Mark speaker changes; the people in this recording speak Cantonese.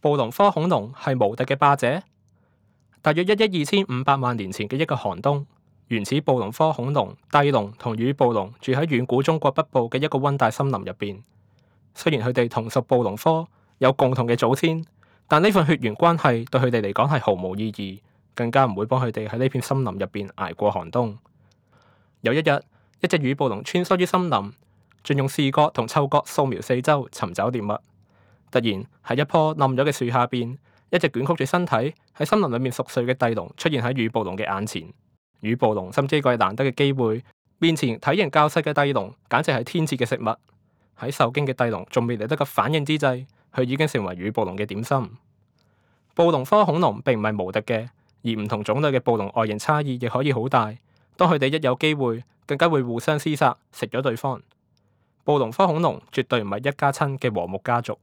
Speaker 1: 暴龍科恐龍係無敵嘅霸者。大約1億2500萬年前嘅一個寒冬，原始暴龍科恐龍帝龍同乳暴龍住喺遠古中國北部嘅一個溫帶森林入邊。雖然佢哋同屬暴龍科，有共同嘅祖先，但呢份血緣關係對佢哋嚟講係毫無意義，更加唔會幫佢哋喺呢片森林入邊捱過寒冬。有一日，一隻乳暴龍穿梭於森林，盡用視覺同嗅覺掃描四周尋找獵物。突然喺一棵冧咗嘅樹下邊，一隻捲曲住身體喺森林裏面熟睡嘅帝龍出現喺乳暴龍嘅眼前。乳暴龍心知呢個係難得嘅機會，面前體型較細嘅帝龍簡直係天賜嘅食物。喺受驚嘅帝龍仲未嚟得及反應之際，佢已經成為乳暴龍嘅點心。暴龍科恐龍並唔係無敵嘅，而唔同種類嘅暴龍外形差異亦可以好大。當佢哋一有機會，更加會互相廝殺，食咗對方。暴龍科恐龍絕對唔係一家親嘅和睦家族。